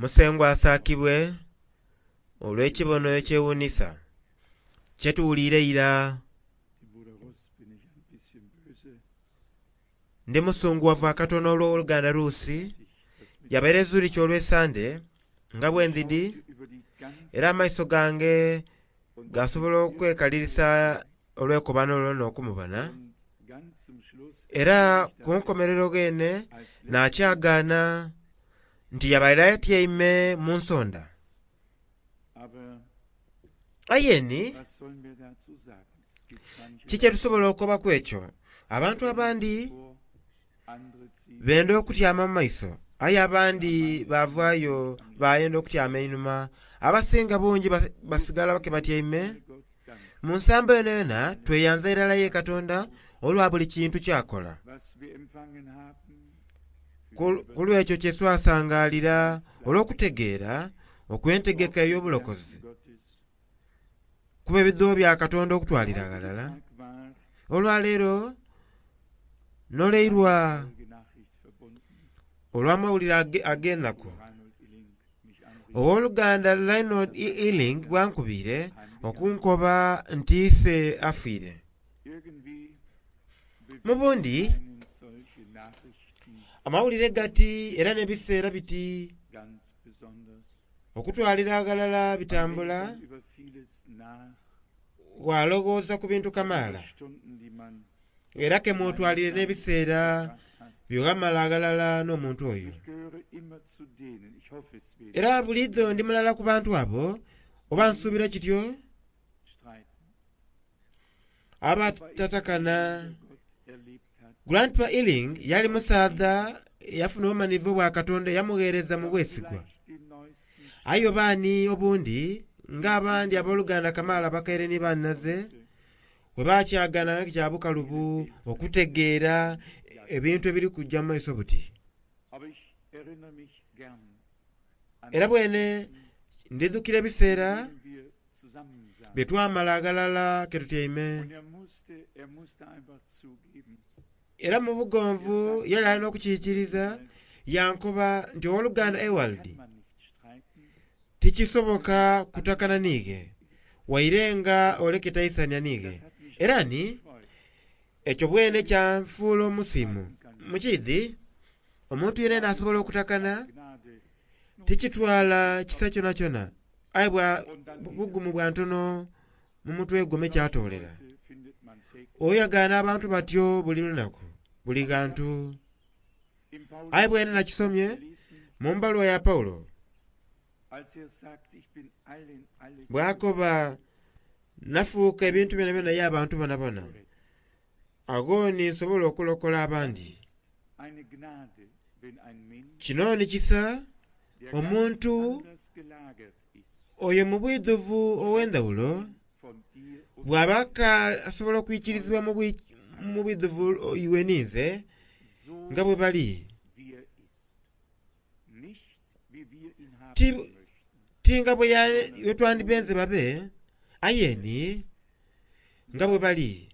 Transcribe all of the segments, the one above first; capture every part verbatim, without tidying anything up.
Musengwa asaakibwe olw'ekibono ekyewuunhisa kyetuwuliire eira. Dem Bruder Russ bin ich ein bisschen böse, Ndi musungughavu akatono olw'oluganda Luusi ich das mit yabaire Zurich olw'Esande nga bwe ndidi schaute über die ganze era amaiso gange und gasobola okwekalirisa olw'ekobano olwo n'okumubona und ganz zum Schluss era erfuhr ich, ku dass er nkomerero gheene als letztes nakyagaana nti yabaire atyaime mu nsonda. Aber Aye ni was sollen wir dazu sagen? Es gibt manche, kiki kyetusobola okukobaku ekyo? Abantu abandi vor, andere ziehen benda okutyama mu maiso aye abandi bavaayo bayenda okutyama einhuma abasinga bungi bas- basigala ke batyaime. Gott Dank, Mu nsambo eno yona tweyanza irala ye Katonda olwa buli kintu kyakola. was wir empfangen haben, für Ku die ku lw'ekyo kye twasangaalira olw'okutegeera okw'entegeka ey'obulokozi Gottes. kuba ebidhuubo bya Katonda okutwalira aghalala. Tag war Olwaleero noleirwa traurige Nachricht verbunden. olw'amawulire age- ag'enaku. Reinhold Illing mich anrief, Owooluganda Reinhold Ealing bwankubiire okunkoba nti ise afiire. irgendwie Mu bundi einen solche Nachrichten amawulire gati era n'ebiseera biti ganz besonders. okutwalira aghalala Man bitambula denkt dann über vieles nach, walowooza ku bintu kamaala über Stunden, die man era ke mwotwalire n'ebiseera verbracht hat. byoghamala aghalala n'omuntu oyo. Ich gehöre immer zu denen, ich hoffe es wird Era buliidho ndi mulala ku bantu abo oba nsuubira kityo streiten. abatatakana. Gott erlebt hat, Grandpa Ealing yali musaadha eyafuna obumanhivu bwa Katonda eyamugheereza mu bwesigwa. vielleicht den neuesten Aye obaani obundi ng'abandi abooluganda kamaala bakaire ni bannaze bwe bakyagana kya bukalubu okutegeera ebintu ebiri kujja mu maiso buti. Aber ich erinnere mich gern an Era bwene ndidhukira ebiseera denen wir zusammensaßen. bye twamala aghalala ke tutyaime Und er musste, er musste einfach zugeben, era mu bugonvu yali alina okukiikiriza yankoba nti owooluganda Ewald kann man nicht streiten, tikisoboka kutakana niige waire nga oleke taisania niige. Das hat mich Era ni gefreut. ekyo bwene kyanfuula omusiimu. Mukiidhi omuntu yenayena asobola okutakana Gnade. tikitwala kisa kyonakyona aye bwa Und dann geht bugumu bwa ntono mu mutwe gwo kyatoolera. Heute findet man täglich Oyagaana abantu batyo buli lunaku buli ghantu. im Paulus Aye bwene nakisomye gelesen, mu mbaluwa ya Pawulo als er sagt, ich bin allen alles bw'akoba nafuuka ebintu byonabyona ye abantu bonabona agho ni nsobola okulokola abandi. ist eine Gnade, wenn ein Mensch, Kino ni kisa der omuntu ganz anders gelagert ist, oyo mu bwidhuvu ow'endhawulo von dir und bw'aba ka asobola okwikirizibwa mu bwi- mu bwidhuvu iwe ninze so nga bwe bali wie er ist. Nicht wie wir ihn haben Ti- möchten. ti nga bwe ya- bwe twandibenze babe aye ni nga bwe bali.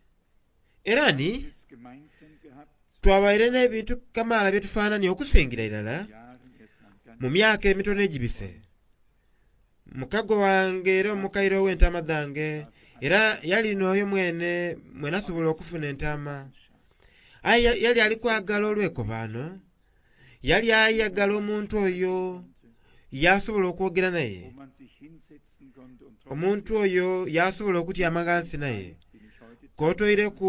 Era ni Es gemeinsam gehabt, twabaire n'ebintu kamaala bye tufaanania okusingira irala Jahren erst ein ganz mu myaka emitono egibise. Mukago wange era omukaire ow'entaama dhange era yali n'oyo mwene mwene asobola okufuna entaama. Aye ya- yali ali kwagala olw'ekobaano yali ayagala omuntu oyo yasobola okwogera naye wo man sich hinsetzen konnte und omuntu oyo yasobola okutyama ghansi naye bin ich heute k'otoireku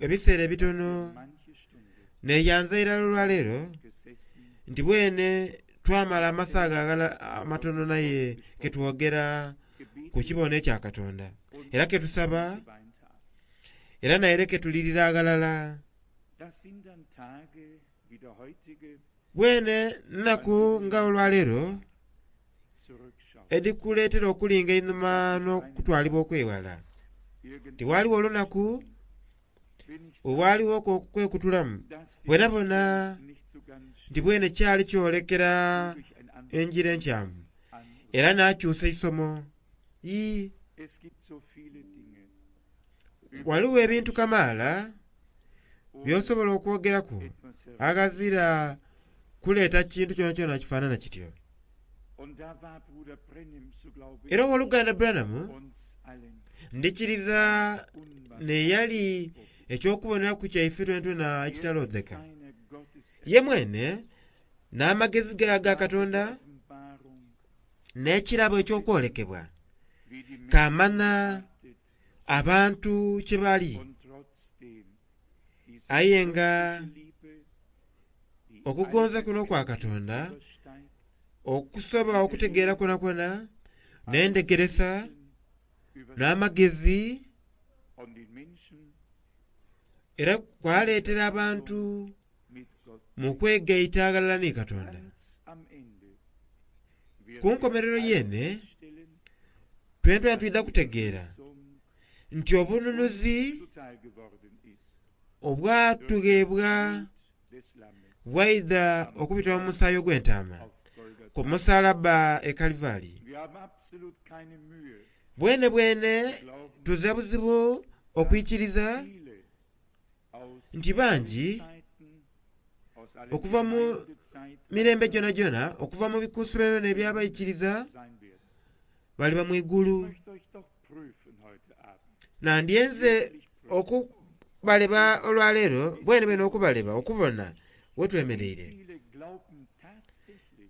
ebiseera ebitono manche Stunde neyanza irala olwaleero gesessen, nti bwene twamala amasaaga agala amatono naye ketwogera gebetet ku kibono ekya Katonda und era ketusaba geweint haben. era naye ketulirira aghalala. Das sind dann Tage wie der heutige Bwene nnaku nga olwaleero zurückschauen. edikuleetera okulinga einhuma n'okutwalibwa okwewala. Irgendwann Tiwaaliwo olunaku bin ich obwaliwo okwekutulamu dass die bwena bona nicht so ganz nti bwene kyali kyolekera durch ein anderes enjira enkyamu an. era n'akyusa eisomo. Ii Es gibt so viele Dinge, waliwo ebintu kamaala ohne by'osobola okwogeraku etwas aghazira kuleeta kintu kyonakyona kifaanana kityo. Era owooluganda Branham ndikiriza neyali ekyokuboneraku kyaife twenatwena ekitalondeka. Ye mwene n'amagezi ge aga Katonda n'ekirabo eky'okwolekebwa kamana abantu kye bali, aye nga okugonza kuno okwa Katonda okusoba okutegeera kwonakwona n'endhegeresa n'amagezi era kwaleetera abantu mu kwegaita aghalala ni Katonda. Ku nkomerero yene twenatwena twidha kutegeera nti obununuzi obwatughebwa bwaidha okubita mu musaayi ogw'entaama ku musalabba e Kalivaali. Bwene bwene tuzira buzibu okwikiriza nti bangi okuva mu mirembe gyonagyona, okuva mu bikunsu byonabyona eby'abaikiriza baliba mu igulu. Nandyenze okubaleba olwaleero bwene bwene okubaleba okubona wetwemereire.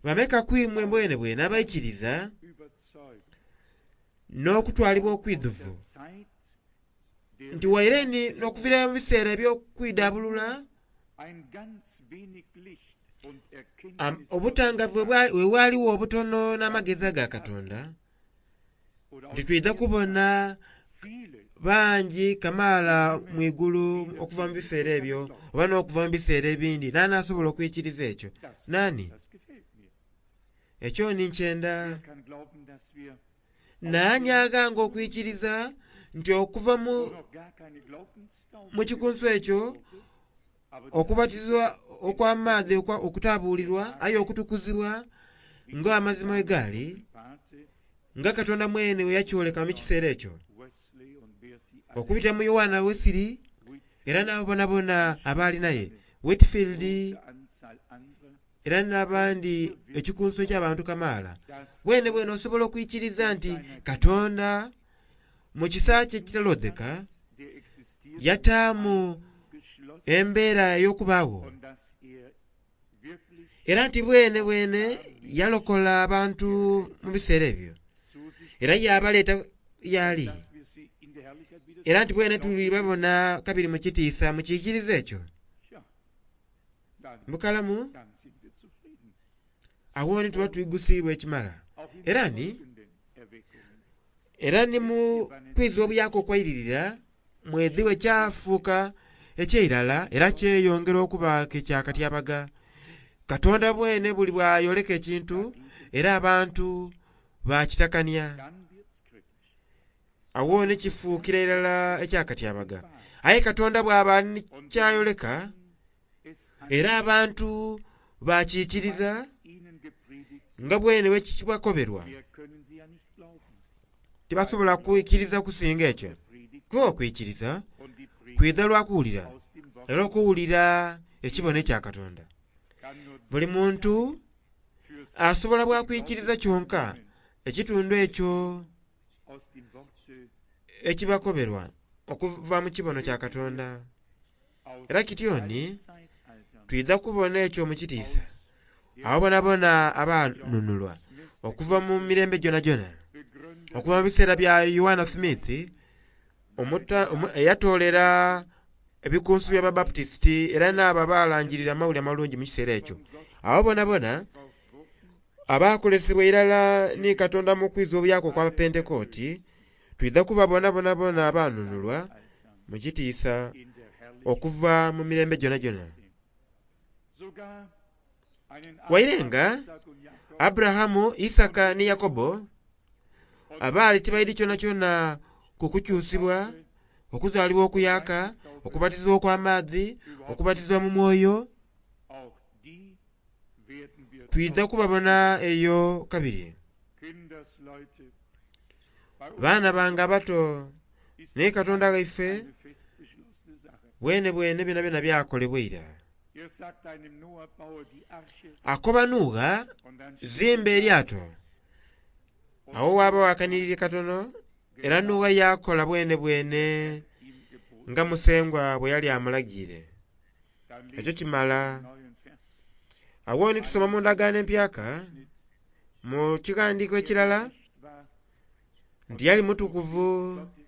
Bameka ku imwe bwene bwene abaikiriza n'okutwalibwa okwidhuvu nti waire ni n'okuviira mu biseera eby'okwidabulula obutangavu bwe bwaliwo obutono n'amagezi aga Katonda, nti twidha kubona bangi kamaala mu igulu okuva mu biseera ebyo oba n'okuva mu biseera ebindi. Nani asobola okwikiriza ekyo? Nani? Ekyo ni nkyenda. Nani aghanga okwikiriza nti okuva mu, mu kikunsu ekyo okubatizibwa okw'amaadhi okutabuulirwa aye okutukuzibwa ng'amazima bwe gaali, nga Katonda mwene bwe yakyoleka mu kiseera ekyo okubita mu Yoanna Wesili era n'abo bonabona abaali naye, Whitfield era n'abandi ekikunsu eky'abantu kamaala. Bwene bwene osobola okwikiriza nti Katonda mu kisa kye ekitalondeka yataamu embeera ey'okubaagho era nti bwene bwene yalokola abantu mu biseera ebyo era yabaleeta y'ali, era nti bwene tulibabona kabiri mu kitiisa mukiikiriza ekyo. Mukalamu awo ni tuba twigusiibwa ekimala. Era ni era ni mu kwizibwa obuyaaka okwairirira mwedhiwe kyafuuka ekyeirala era kyeyongera okuba ekyakatyabaga. Katonda bwene buli bwayoleka ekintu era abantu bakitakania. Awo ni kifuukira irala ekyakatyabaga. Aye Katonda bw'aba ni kyayoleka era abantu bakiikiriza nga bwene bwe kibakoberwa, tibasobola kwikiriza kusinga ekyo. Kuba okwikiriza kwidha lwa kuwulira, era okuwulira ekibono ekya Katonda. Buli muntu asobola bwakwikiriza kyonka ekitundu ekyo ekibakoberwa okuva mu kibono kya Katonda. Era kityo ni twidha kubona ekyo mu kitiisa abo bonabona abanunulwa okuva mu mirembe gyonagyona, okuva mu biseera bya Yoanna Smith eyatoolera ebikunsu by'Ababaputisiti era n'abo abalangirira amawulire amalungi mu kiseera ekyo. Abo bonabona abakolesebwa irala ni Katonda mu kwiza obuyaaka okw'Abapentekooti, twidha kubabona bonabona abanunulwa mu kitiisa okuva mu mirembe gyonagyona. Waire nga Aburahamu, Isaaka ni Yakobo abaali tibaidhi kyonakyona ku kukyusibwa, okuzaalibwa okuyaaka, okubatizibwa okw'amaadhi, okubatizibwa mu mwoyo, twidha kubabona eyo kabiri. Baana bange abato ni Katonda ghaife bwene bwene byonabyona byakolebwa ira. Akoba Nuuwa, zimba eryato. Awo waaba wakanirire katono era Nuuwa yakola bwene bwene ihm geboten. nga Musengwa bwe yali amulagiire. Dann Ekyo lesen wir kimala. einen neuen Vers. Awo ni tusoma mu ndagaano empyaka mu kigandiiko ekirala Nicht wahr? nti yali mutukuvu Gottes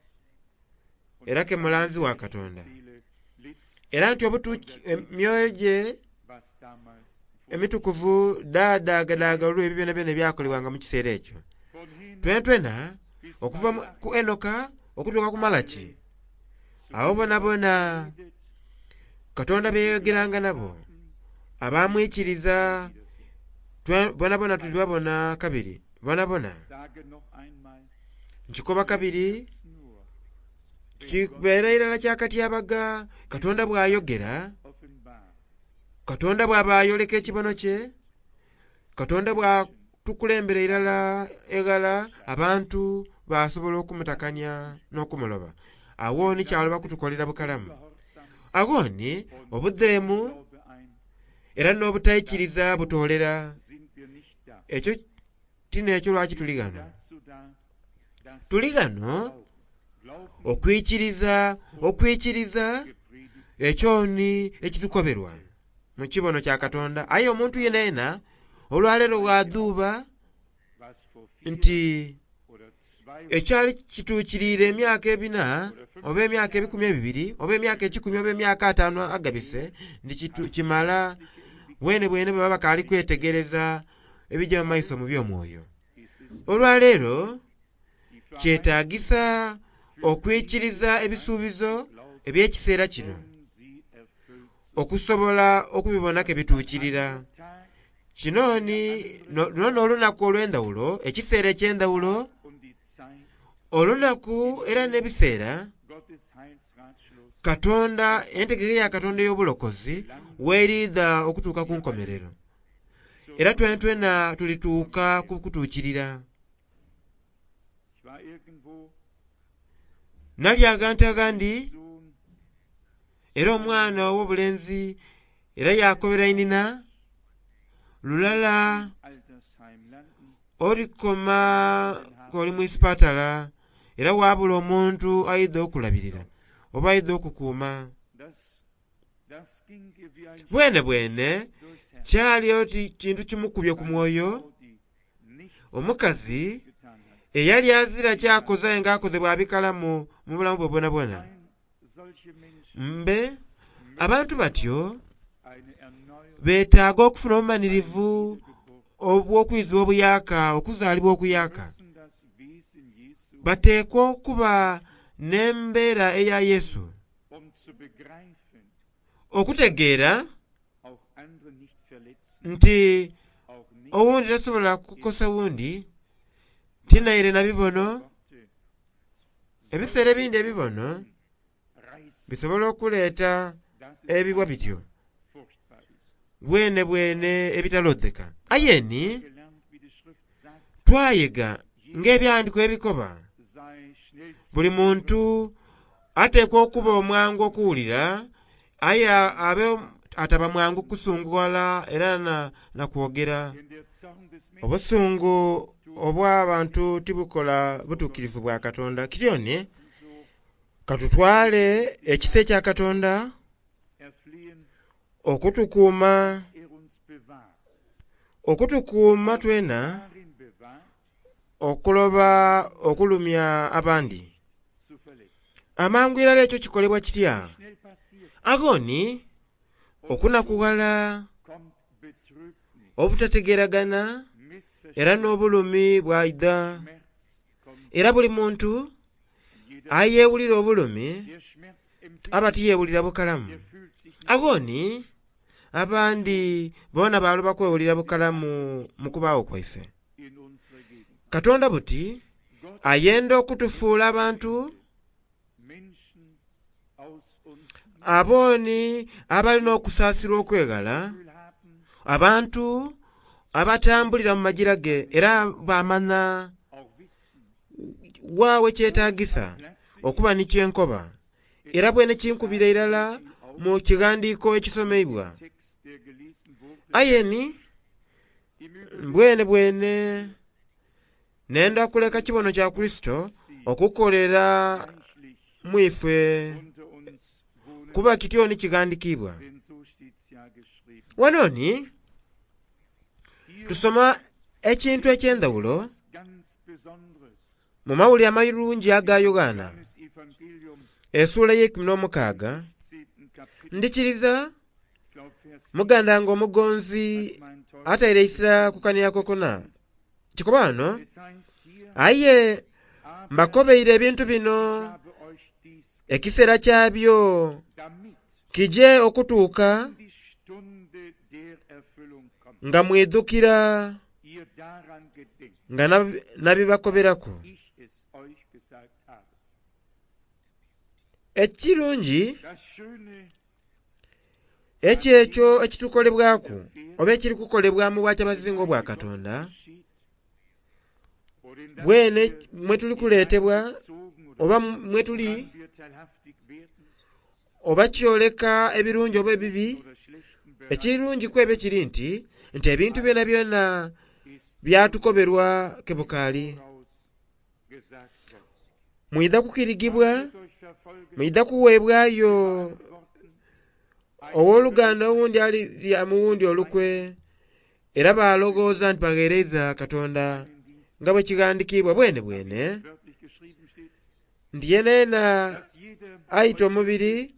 und era ke mulanzi wa Katonda Seele litt, era nti obutuki emyoyo gye was damals vor. emitukuvu daadaagadaaga olw'ebyo byonabyona ebyakolebwanga mu kiseera ekyo. Von Henoch Twenatwena bis okuva mu- Malachi ku Enoka okutuuka ku Malaki zu abo bonabona redet, Katonda be yayogeranga nabo abamwikiriza twe- bonabona tulibabona kabiri bonabona sage noch einmal, nkikoba kabiri es nur, wenn Gott kibeera irala kyakatyabaga Katonda bw'ayogera offenbart, Katonda bw'aba ayoleka ekibono kye Katonda bw'atukulembera irala eghala abantu basobola okumutakanya n'okumuloba awo ni kyaloba kutukolera bukalamu Gehorsam awo ni obudheemu Glaube ein, era n'obutaikiriza butoolera sind wir nicht da. ekyo tinekyo lwaki tuli ghano Dazu da, dass tuli ghano Glauben, Glauben okwikiriza okwikiriza gepredigt ekyo ni ekitukoberwa mu kibono kya Katonda aye omuntu yena yena olwaleero bw'adhuuba was vor vier nti oder zwei ekyali kituukiriire emyaka ebina oba emyaka ebikumi ebibiri oba emyaka ekikumi oba emyaka ataano agabise nti kitu- kimala bwene bwene bwe baba bakaali kwetegereza ebijja mu maiso mu by'omwoyo ist es olwaleero die Verheißung kyetaagisa okwikiriza ebisuubizo eby'ekiseera kino um sie erfüllt zu okusobola okubibonako ebituukirira Tag kino ni no- luno n'olunaku olw'endawulo ekiseera eky'endawulo und die Zeit olunaku era n'ebiseera Gottes Heilsratschluss Katonda entegeka ya Katonda ey'obulokozi weeriidha okutuuka ku nkomerero era twenatwena tulituuka ku kutuukirira. Ich war irgendwo Nali agantu agandi Sohn era omwana ow'obulenzi era yakobera inina lulala Altersheim landen olikoma k'oli mu isipatala era waabula omuntu aidha okulabirira oba aidha okukuuma. das das ging ihr wie ein Bwene bwene durchs Herz kyali oti kintu kimukubye ku mwoyo Frau, die nichts omukazi getan hat. eyali azira kyakoze aye ng'akoze bw'abikalamu mu bulamu bwe bwonabwona. Nein, solche Menschen Mbe abantu batyo eine Erneuerung beetaaga okufuna obumanirivu Wiedergeburt obw'okwizibwa obuyaka okuzaalibwa okuyaka. müssen das Wesen Jesu Bateekwa okuba n'embeera eya Yesu um zu begreifen, okutegeera auch andere nicht verletzen, nti auch nicht owundi tasobola kukosa wundi tinaire na bibono Worte ebiseera ebindi ebibono reißen, bisobola okuleeta dass es ebibwa bityo furchtbar ist. bwene bwene ebitalodheka aye ni Gelernt, wie die Schrift sagt, twayega ng'ebyandiko ebikoba sei schnell zu buli muntu ateekwa okuba omwangu okuwulira aye abe ataba mwangu kusunguwala era na, na kwogera. Denn der Zorn des Menschen Obusungu obw'abantu tibukola butuukirivu bwa Katonda. Kityoni so katutwale ekisa ekya Katonda erflehen, okutukuuma er uns bewahrt. okutukuuma twena Darin bewahrt, okuloba okulumya abandi. zu verletzen. Amangu irala ekyo kikolebwa kitya? Schnell passiert, Agoni okunakuwala, kommt Betrübnis, obutategeeragana era Missverständnis, n'obulumi bwaidha. Schmerz kommt Era buli muntu jeder, ayeewulira obulumi der Schmerz empfindet, aba tiyeewulira bukalamu. der fühlt sich nicht Agoni abandi boona baaloba kwewulira bukalamu mu kubaawo kwaife. in unserer Gegend. Katonda buti Gott ayenda okutufuula abantu Menschen aus uns abooni abalina okusaasirwa okweghala, Gefühl haben, abantu abatambulira mu magira ge era bamanya auch wissen, waawe kyetaagisa okuba ni kyenkoba era bwene kinkubira irala mu kighandiiko ekisomeibwa. Text, der gelesen wurde, Aye ni im Übrigen bwene bwene Nenda kuleka kibono kya Kurisito okukolera reichlich mu ife unter uns wohnen, kuba kityo ni kighandikiibwa. denn so steht's ja geschrieben. Wano ni Hier tusoma ekintu eky'endhawulo etwas ganz Besonderes. mu mawulire amayirungi aga Yoghana Johannes Evangelium, essuula ey'eikumi n'omukaaga zehnten Kapitel, ndikiriza ich glaub, Vers muganda nga omugonzi vier, mein teurer ataire isira kukania kokona kikoba wano Es heißt hier, aye aber mbakobeire ebintu bino ich habe euch dies, ekiseera kyabyo damit kije okutuuka die Stunde der Erfüllung kommt. nga mwidhukira Ihr daran gedenkt, nga nab- nabibakoberaku. ich es euch gesagt habe. Ekirungi Das Schöne ekyo ekyo ekitukolebwaku oba ekiri kukolebwa mu bwakyabazinga obwa Katonda geschieht, worin das bwene wir mwe tuli kuleetebwa hineingezogen oder oba mwe tuli woran wir teilhaftig werden oba kyoleka ebirungi oba ebibi. oder schlechten Bereich Ekirungi ku ebyo kiri nti nti ebintu byona byona ist byatukoberwa kebukaali. voraus gesagt worden. Mwidha kukirigibwa, Wird euch verfolgen, mwidha kuweebwayo Worten, owooluganda owundi alirya muwundi olukwe era balowooza nti bagheereza Katonda nga bwe kighandikiibwa bwene bwene wörtlich geschrieben steht, nti yeena dass jeder ayita omubiri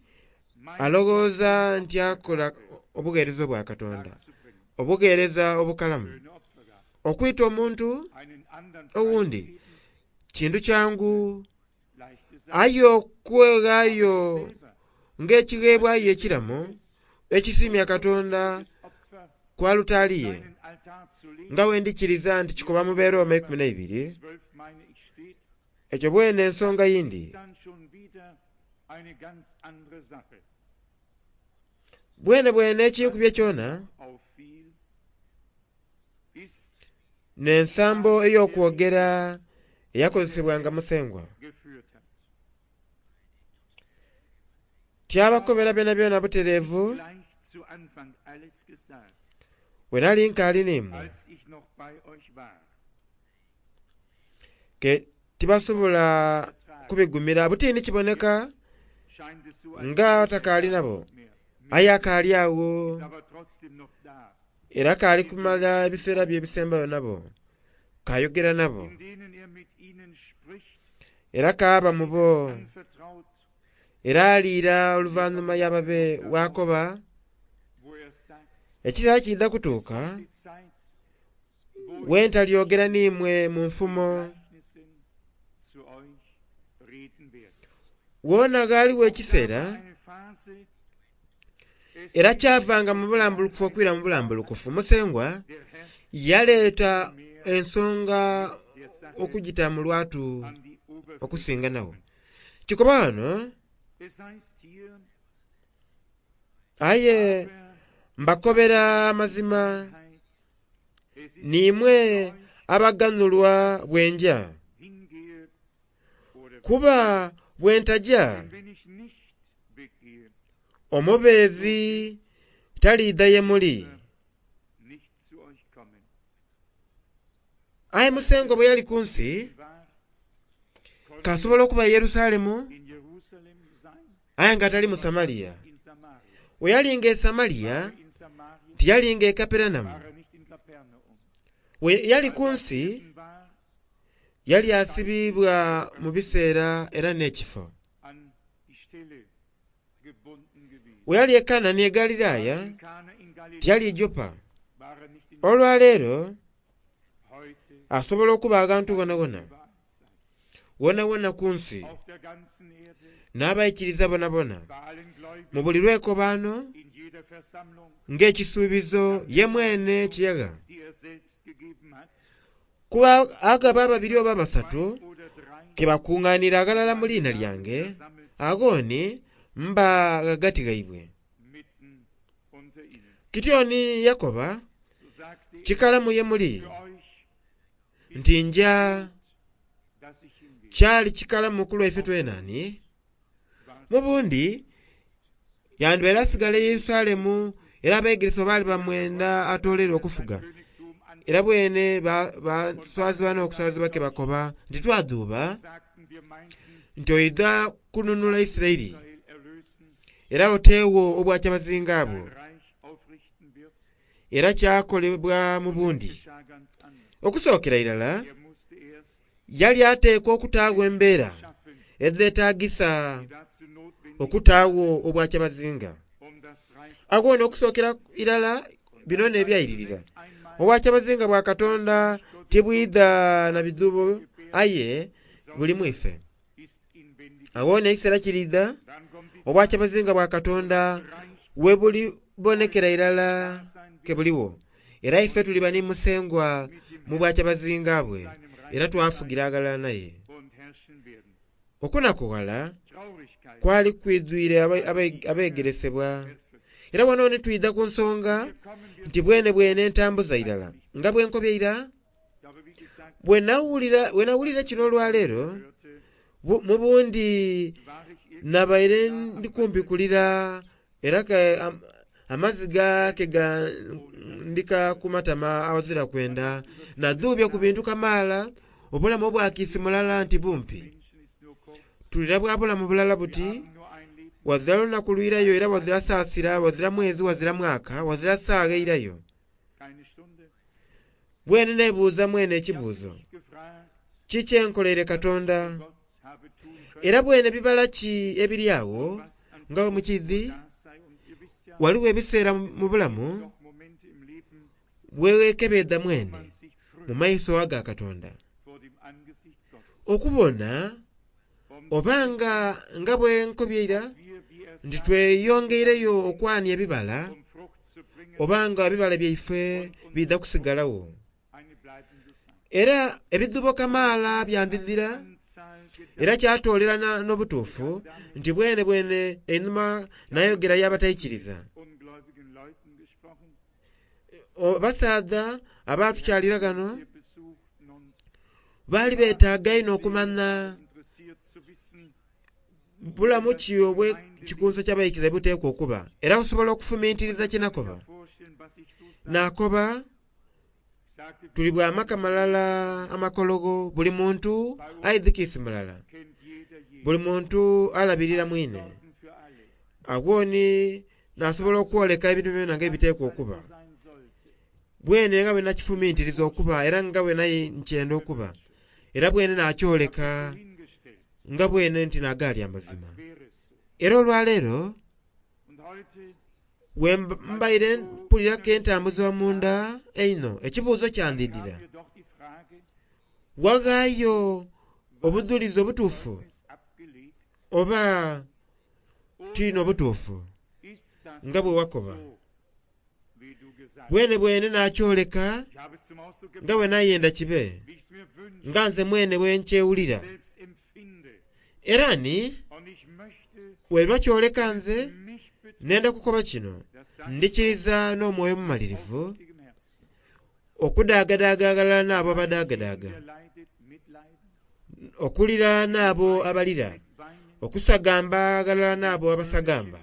mein alowooza nti akola obugheereza obwa Katonda darzubringen. obugheereza obukalamu. Schöne Opfergabe. Okwita omuntu Einen anderen owundi preisgeben, kintu kyangu leichte Sache. aye okweghaayo Selber ng'ekigheebwayo ekiramu ekisiimya Katonda das Opfer ku alutaali ye seinen Altar zu legen, nga bwe ndikiriza nti kikoba mu Beeroma ekumi n'eibiri zwölf meine ich steht, ekyo bwene ensonga yindi ist dann schon wieder eine ganz andere Sache. bwene bwene ekinkubye kyona Auffiel, ist n'ensambo ey'okwogera eyakozesebwanga Musengwa geführt hat. tyabakobera byona byona butereevu Gleich zu Anfang alles gesagt, bwe nali nkaali n'imwe als ich noch bei euch war. ke tibasobola kubigumira butiini kiboneka Scheint es so, als nga wäre takaali er nabo nicht mehr. aye akaali awo Ist aber trotzdem noch da, era kaali kumala ebiseera bye ebisembayo nabo kayogera nabo in denen er mit ihnen spricht, era kaaba mu bo anvertraut, era aliira oluvannyuma y'ababe waakoba wo er sagt, ekiseera kidda kutuuka die Zeit, wo we ntalyogera n'imwe mu nfumo Gleichnissen zu euch reden werde. woona ghaaliwo ekiseera Eine Phase, es era kyavanga mu bulambulukufu okwira mu bulambulukufu. Musengwa der Herr yaleeta ensonga der Sache okugita mu lwatu an die Oberfläche. okusinga nawo kikoba wano Es heißt hier, aye aber mbakobera amazima Wahrheit, es ist niimwe abaganulwa bwenja hingehe oder kuba bwe ntajja denn wenn ich nicht weggehe, omubeezi taliidha ye muli. nicht zu euch kommen. Aye Musengwa bwe yali ku nsi War kasobola okuba e Yerusalemu in Jerusalem sein, aye nga tali mu Samaliya. in Samaria. We yalinga e Samaliya In Samaria tiyalinga e Kaperanamu. war er nicht in Kapernaum. We yali ku nsi War yali asibibwa mu biseera era n'ekifo. an die Stelle gebunden gewesen. We yali e Kanani e Galiraaya In Kana in Galiläa tiyali e Jopa. war er nicht in Olwaleero heute asobola okuba aghantu wonawona überall sein. wonawona ku nsi Auf der ganzen Erde, n'abayikiriza bonabona bei allen Gläubigen, mu buli lwekobaano in jeder Versammlung, ng'ekisuubizo ye mwene kiyaga die er selbst gegeben hat, kuba agaba ababiri oba basatu zwei oder drei ke bakuŋŋaanira aghalala mu liina lyange agooni mba ghagati gaibwe. mitten unter ihnen. Kityoni yakoba So sagte er kikalamu ye muli für euch, nti nja dass ich hingehe. kyali kikalamu ku lwaife twenani mu bundi yandibaire asigala e Yerusalemu era abeegeresebwa baali bamwenda atoolere okufuga Königstum an Era bwene baswazibwa n'okuswazibwa ke bakoba nti twadhuuba nti oidha kununula Isiraeli era oteewo obwakyabazinga bwo. Era kyakolebwa mu bundi. Okusookera irala yali ateekwa okutaagho embeera edheetagisa okutaagho obwakyabazinga. Agho n'okusookera irala bino n'ebyairirira. Obwakyabazinga bwa Katonda tibwidha na bidhuubo aye buli mu ife. Agho n'ekiseera kiriidha obwakyabazinga bwa Katonda we bulibonekera irala ke buliwo. Era ife tuliba ni Musengwa mu bwakyabazinga bwe era twafugira aghalala naye. Okunakughala kwali kwidhwire abeegeresebwa. Era wano ni twidha ku nsonga nti bwene bwene entambuza irala nga bwe nkobye ira bwe nawulira kino olwaleero mu bundi nabaire ndi kumpi kulira era amaziga ke gandika ku matama awazira kwenda nadhuubye ku bintu kamaala obulamu obwakiisi mulala nti bumpi. Tulira bwa bulamu bulala buti wazira lunaku lwirayo era wazira saasira wazira mwezi wazira mwaka wazira saagha eirayo. Bwene neebuuza mwene ekibuuzo kiki enkoleire Katonda? Era bwene bibala ki ebiri awo nga bwe mukidhi waliwo ebiseera mu bulamu bwe weekebeedha mwene mu maiso aga Katonda okubona obanga nga bwe nkobye ira nti tweyongeireyo okwania ebibala obanga ebibala byaife biidha kusigalawo. Era ebidhuubo kamaala byandhidhira era kyatoolera n'obutuufu nti bwene bwene einhuma nayogera y'abataikiriza. Abasaadha abatukyalira ghano baali beetaaga inho okumanya bulamu ki obw'ekikunso ky'abaikiriza buteekwa okuba. Era osobola okufumintiriza kye nakoba. Nakoba tuli bwa maka malala amakologo buli muntu aidhi kiisi mulala. Buli muntu alabirira mwine. Agho ni nasobola okwoleka ebintu byona nga ebiteekwa okuba. Bwene nga bwe nakifumintiriza okuba era nga bwe nkyenda okuba. Era bwene nakyoleka nga bwene nti nagaali amazima. Era olwaleero bwe mbaire mpuliraku entambuzibwa munda einho ekibuuzo kyandhidhira. Waghaayo obudhulizi obutuufu oba tiina obutuufu nga bwe wakoba? Bwene bwene nakyoleka nga bwe nayenda kibe nga nze mwene bwe nkyewulira. Era ni bweba kyoleka nze nenda kukoba kino ndikiriza n'omwoyo omumalirivu okudaagadaaga aghalala n'abo abadaagadaaga, okulira n'abo abalira, okusagamba aghalala n'abo abasagamba.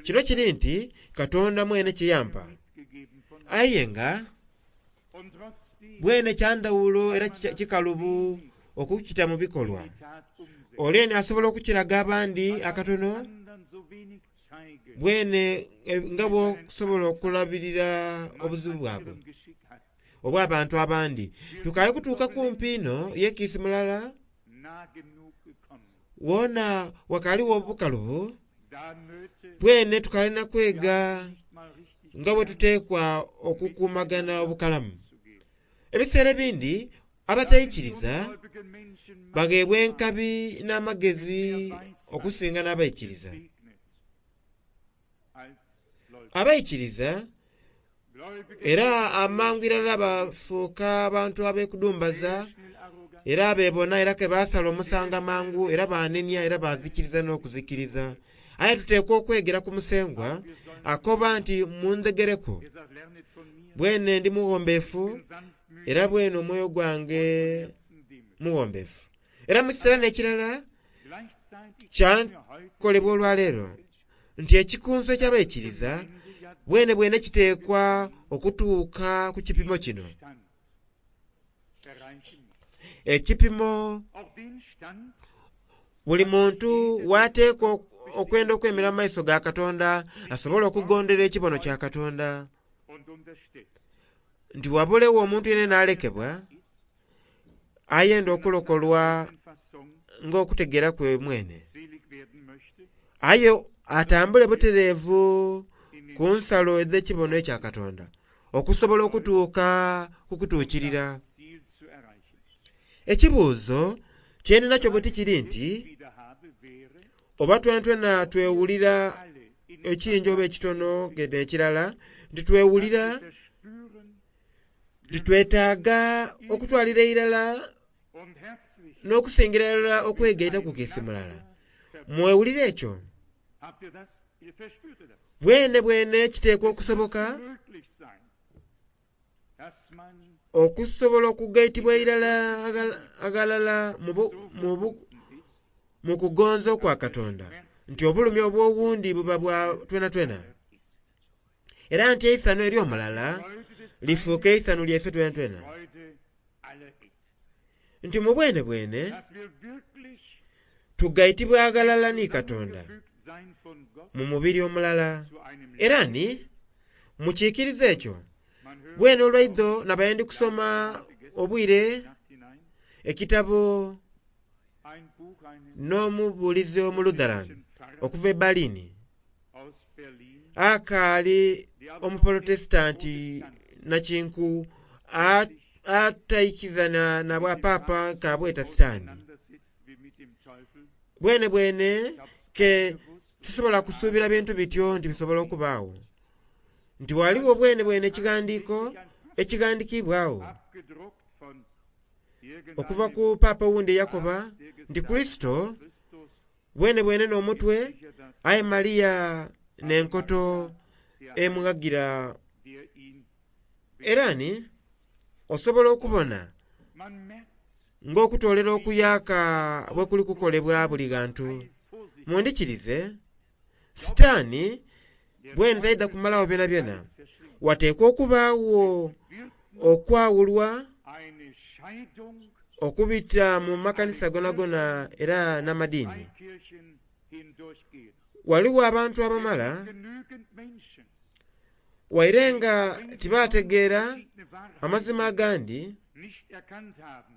Kino kiri nti Katonda mwene kye yampa. Aye nga bwene kyandhawulo era kikalubu okukita mu bikolwa. Ole ni asobola okukiraga abandi akatono bwene nga bw'osobola okulabirira obuzibu bwabwe obw'abantu abandi. Tukaali kutuuka kumpi inho yekiisi mulala wona wakaaliwo obukalubu bwene tukalina kwega nga bwe tuteekwa okukuumagana obukalamu. Ebiseera ebindi abataikiriza bagheebwa enkabi n'amagezi okusinga n'abaikiriza. Abaikiriza era amangu irala bafuuka abantu ab'ekudumbaza era beebona era ke basala omusango amangu era banenia era bazikiriza n'okuzikiriza. Aye tuteekwa okwegera ku Musengwa akoba nti mundhegereku bwene ndi mughombeefu era bwene omwoyo gwange mughombeefu. Era mu kiseera n'ekirala kyakolebwa olwaleero nti ekikunso eky'abaikiriza Bwene bwene kiteekwa okutuuka ku kipimo kino. Stand erreichen muss. Ekipimo Auch den Stand, buli muntu wateekwa okwenda okwemera mu maiso ga Katonda asobole okugondera ekibono kya Katonda. und unterstützt. Nti wabulewo omuntu yenna n'alekebwa ayenda okulokolwa In Fassung ng'okutegeera kwe mwene, selig werden möchte, aye atambule butereevu ku nsalo ez'ekibono ekya Katonda okusobola okutuuka ku kutuukirira. Ziel zu erreichen. Ekibuuzo kye ndinakyo buti kiri nti Wieder habe, wäre, oba twentwena twewulira alle in ekingi oba ekitono genda ekirala nti twewulira verspüren nti twetaaga okutwalira irala und herzlich n'okusingira irala okwegaita ku kiisi mulala. Mwewulira ekyo? Habt ihr das? Ihr verspürt ihr das? Bwene bwene kiteekwa okusoboka Möglich sein, dass man okusobola okugaitibwa irala agal- agalala mu bu- mu bu- ist, mu kugonza okwa Katonda nti obulumi obw'owundi buba bwa twenatwena era nti eisano ery'omulala Freude des lifuuka eisano lyaife twenatwena Freude aller ist. nti mu bwene bwene Dass wir wirklich tugaitibwa agalala ni Katonda zusammengefügt sein von Gott mu mubiri omulala. zu einem Era ni mukiikiriza ekyo. Man hört Bwene olwaidho nabaye ndi kusoma obwire Nacht hinein ekitabo ein Buch eines n'omubuulizi Omulutheran okuva e Berlin aus Berlin, akaali omuprotesitanti nakinku a- ataikizana na bwapapa kabweta sitaani. auseinandersetzt wie mit dem Teufel. Bwene bwene ke tusobola kusuubira bintu bityo nti bisobola okubaawo nti waliwo bwene bwene ekigandiiko ekigandikibwawo Abgedruckt von okuva irgendeinem ku paapa owundi eyakoba nti Kristo Christus bwene bwene n'omutwe sicher das, aye Mariya n'enkoto der, emughagira. der ihn Era ni osobola okubona Man merkt ng'okutoolera okuyaaka bwe kuli kukolebwa buli ghantu. Vorsicht, Mundikirize sitaani bwene taidha kumalawo byonabyona. verschlingt. Wateekwa okubaawo Wird okwawulwa eine Scheidung okubita mu makanisa gonagona era n'amadiini. Freikirchen hindurchgehen. Waliwo abantu abamala Genügend Menschen, waire nga tibaategeera verschiedene Wahrheiten amazima agandi nicht erkannt haben,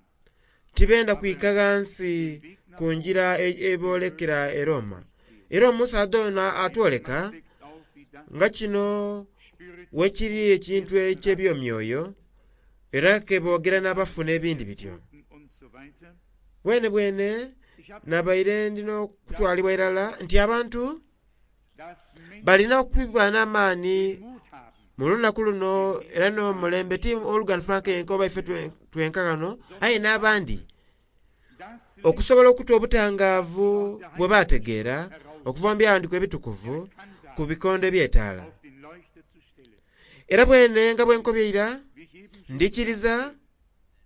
tibenda kwika ghansi ku njira e- eboolekera e Roma. Era omusaadha ono atwoleka deckt auf, wie das nga kino Spirit wekiri ekintu eky'ebyomyoyo era ke boogera n'abafu n'ebindi bityo. und so weiter. Bwene bwene Ich habe nabaire ndina okutwalibwa irala nti abantu dass Menschen balina okubibwa n'amaani Mut haben, mu lunaku luno era n'omulembe ti Olugan Frank yenka oba ife twe- twenka ghano aye n'abandi dass sie okusobola okuta obutangaavu bwe baategeera okuva mu byawandiiko ebitukuvu ku bikondo eby'etaala. auf den Leuchter zu stellen. Era bwene nga bwe nkobye ira Wie ich eben schon, ndikiriza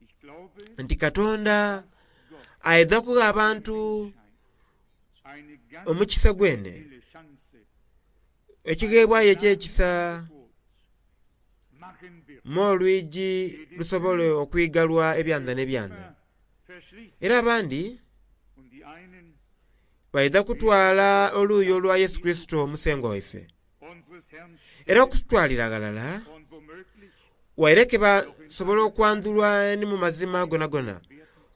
ich glaube, nti Katonda Gott aidha kugha abantu eine ganz omukisa gwene helle Chance ekigheebwayo eky'ekisa Geburt machen wird. mu olwigi lusobole okwigalwa ebyanda n'ebyanda. Immer verschließt Era abandi und die einen baidha kutwala oluuyi olwa Yesu Kristo omusengo waife. unseres Herrn Era okutwalira ghalala und womöglich waire ke basobola okwandhulwa ni mu mazima gonagona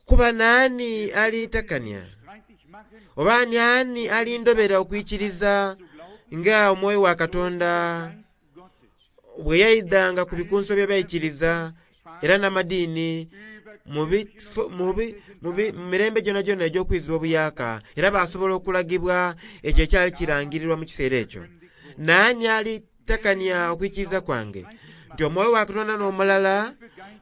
kuba naani aliitakania streitig machen, oba ani ani alindobera okwikiriza zu glauben, nga omwoyo wa Katonda Geist Gottes bwe yaidhanga ku bikunso by'abaikiriza era n'amadiini über mu bifo- mu bi- mu bi- mu mirembe gyonagyona egy'okwizibwa obuyaaka era basobola okulagibwa ekyo ekyali kirangirirwa mu kiseera ekyo. Naani alitakania okwikiriza kwange nti omwoyo wa Katonda n'omulala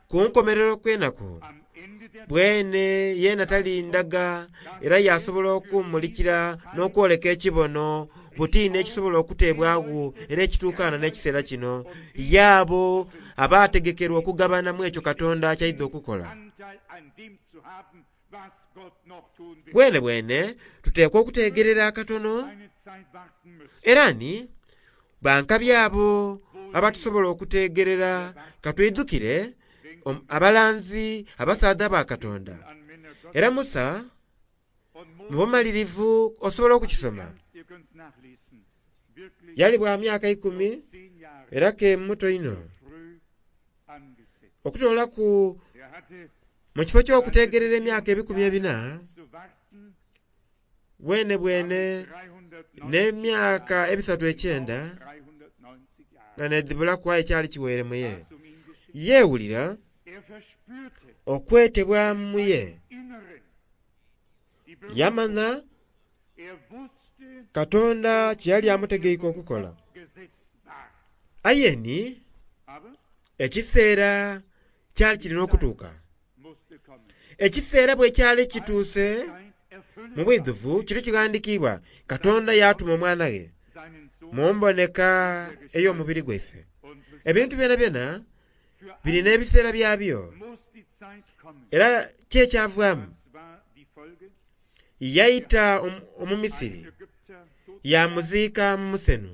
ku nkomerero kw'enaku am Ende der bwene yeena talindaga era yasobola okumulikira n'okwoleka ekibono butiini ekisobola okuteebwawo era ekituukaana n'ekiseera kino yaabo abaategekerwa okugabanamu ekyo Katonda ky'aidha okukola. Anteil an dem zu haben, was Gott noch tun will. Bwene bwene tuteekwa okuteegerera akatono Eine Zeit warten müssen. era ni Bankabi abo abatusobola okutegerera katwidukire abalanzi abasaadha ba Katonda. Era Musa mu bumalirivu osobola okukisoma yali bwa myaka ikumi era ke muto inho okutolaku mu kifo ky'okutegerera emyaka ebikumi ebina bwene bwene n'emyaka ebisatu ekyenda nga nedhibulaku aye kyali kiweire muye. Yeewulira okwetebwa muye yamanha Katonda kye yali amutegeike okukola. Aye ni ekiseera kyali kirina okutuuka. Ekiseera bwe kyali kituuse mu bwidhuvu kiri kighandiikibwa Katonda yatuma omwana we mu mboneka ey'omubiri gwaife. Ebintu byonabyona birina ebiseera byabyo era ki ekyavaamu yaita Omumisiri yamuziika mu musenu.